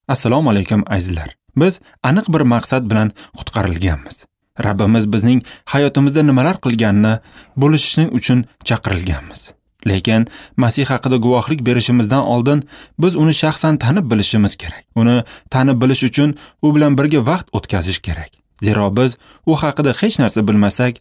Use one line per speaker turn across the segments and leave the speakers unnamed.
Assalomu alaykum azizlar. Biz aniq bir maqsad bilan qutqarilganmiz. Rabbimiz bizning hayotimizda nimalar qilganini bo'lishishning uchun chaqirilganmiz. Lekin Masih haqida guvohlik berishimizdan oldin biz uni shaxsan tanib bilishimiz kerak. Uni tanib bilish uchun u bilan birga vaqt o'tkazish kerak. Zero biz u haqida hech narsa bilmasak,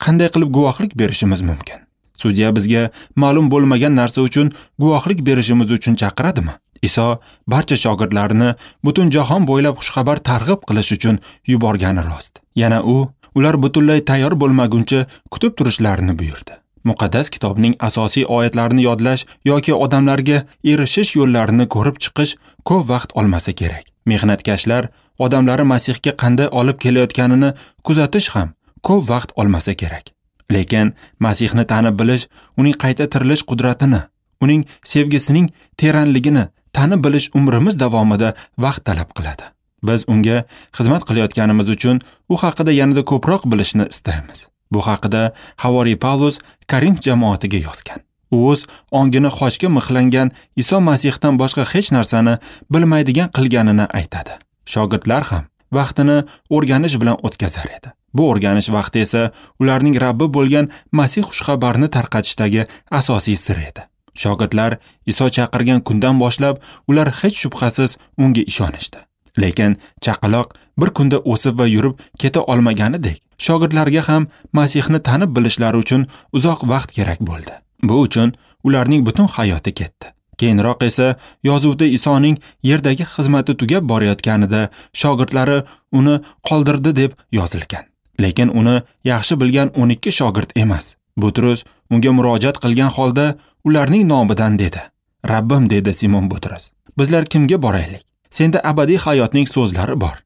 qanday qilib guvohlik berishimiz mumkin? Sudya bizga ma'lum bo'lmagan narsa uchun guvohlik berishimiz uchun chaqiradimi? Iso barcha shogirdlarini butun jahon bo'ylab xushxabar targ'ib qilish uchun yuborgani rost. Yana u ular butunlay tayyor bo'lmaguncha kutib turishlarini buyurdi. Muqaddas kitobning asosiy oyatlarini yodlash yoki odamlarga erishish yo'llarini ko'rib chiqish ko'p vaqt olmasa kerak. Mehnatkashlar odamlari Masihga qanday olib kelayotganini kuzatish ham ko'p vaqt olmasa kerak. Lekin Masihni tanib bilish, uning qayta tirilish qudratini, uning sevgisining teranligini tanib bilish umrimiz davomida vaqt talab qiladi. Biz unga xizmat qilayotganimiz uchun u haqida yanada ko'proq bilishni istaymiz. Bu haqida Havoriy Pavlus Korinf jamoatiga yozgan. U o'z ongini xochga mixlangan Iso Masihdan boshqa hech narsani bilmaydigan qilganini aytadi. Shogirdlar ham vaqtini o'rganish bilan o'tkazar edi. Bu o'rganish vaqti esa ularning Rabbi bo'lgan Masih xushxabarini tarqatishdagi asosiy sir edi. Shogirdlar Iso chaqirgan kundan boshlab ular hech shubhasiz unga ishonishdi. Lekin chaqaloq bir kunda o'sib va yurib keta olmaganidek, shogirdlarga ham Masihni tanib bilishlari uchun uzoq vaqt kerak bo'ldi. Bu uchun ularning butun hayoti ketdi. Keyinroq esa yozuvda Isoning yerdagi xizmati tugab borayotganida shogirdlari uni qoldirdi deb yozilgan. Lekin uni yaxshi bilgan 12 shogird emas. Butrus unga murojaat qilgan holda ularning nomidan dedi: "Rabbim", dedi Simon Butrus, "bizlar kimga boraylik? Senda abadiy hayotning so'zlari bor."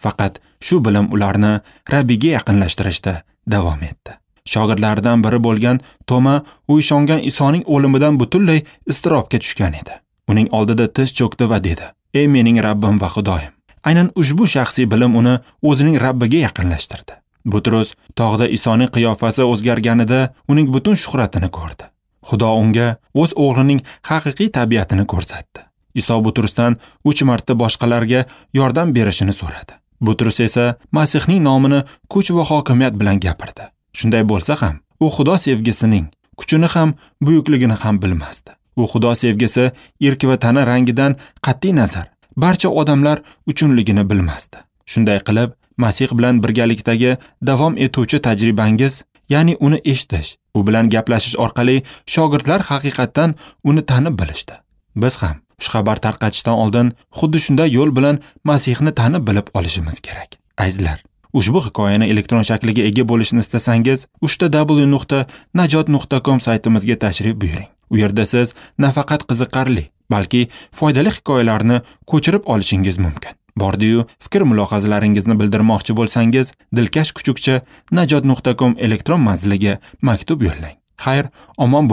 Faqat shu bilim ularni Rabbiga yaqinlashtirishda davom etdi. Shogirdlaridan biri bo'lgan Toma u ishongan Isoning o'limidan butunlay iztirobga tushgan edi. Uning oldida tiz cho'kdi va dedi: "Ey mening Rabbim va Xudoyim." Aynan ushbu shaxsiy bilim uni o'zining Rabbiga yaqinlashtirdi. Butrus tog'da Isoning qiyofasi o'zgarganida uning butun shuhratini ko'rdi. Xudo unga o'z o'g'lining haqiqiy tabiatini ko'rsatdi. Iso Butrusdan 3 marta boshqalarga yordam berishini so'radi. Butrus esa Masihning nomini kuch va hokimiyat bilan gapirdi. Shunday bo'lsa ham, u Xudo sevgisining kuchini ham, buyukligini ham bilmasdi. U Xudo sevgisi erk va tana rangidan qat'iy nazar barcha odamlar uchunligini bilmasdi. Shunday qilib, Masih bilan birgalikdagi davom etuvchi tajribangiz, ya'ni uni eshitish, u bilan gaplashish orqali shogirdlar haqiqatdan uni tanib bilishdi. Biz ham xushxabar tarqatishdan oldin xuddi shunday yo'l bilan Masihni tanib bilib olishimiz kerak. Azizlar, ushbu hikoyani elektron shakliga ega bo'lishni istasangiz, www.najot.com saytimizga tashrif buyuring. U yerda siz nafaqat qiziqarli, balki foydali hikoyalarni ko'chirib olishingiz mumkin. Bordi-yu, fikr mulohazalaringizni bildirmoqchi bo'lsangiz, dilkash kuchukcha najot.com elektron manziliga maktub yo'llang. Xayr, omon bo'ling.